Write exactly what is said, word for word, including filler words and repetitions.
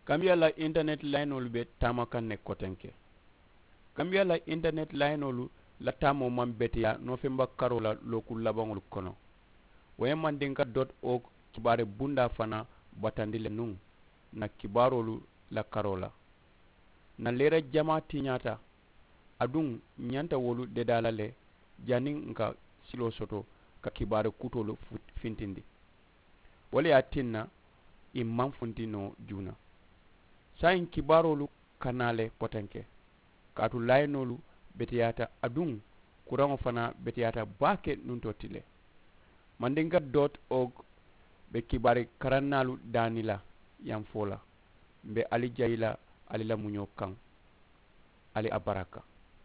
Kambiya la internet layinoolu be taama kaŋ ne kotenke. Kambiya la internet layinoolu la taamoo maŋ beteyaa noofemba karoo la looku labaŋolu kono. Wo ye mandinka dot org kibaari bundaa fanaa batandi le nuŋ n na kibaaroolu la karoo la. N na leera jamaa tiñaata, aduŋ n ñanta wolu dedaa la le janniŋ n ka siloo soto ka kibaari kutoolu fintindi. Wo le ye a tinna ì maŋ funti noo juuna. Saayiŋ kibaaroolu ka naa le kotenke, kaatu laayinoolu beteyaata aduŋ kuraŋo fanaa beteyaata baake nuŋ to ti le. Mandinka dot org be kibaari karannaalu daani la yaŋ fo la. M̀ be ali jayi la ali la muñoo kaŋ. Ali a baraka.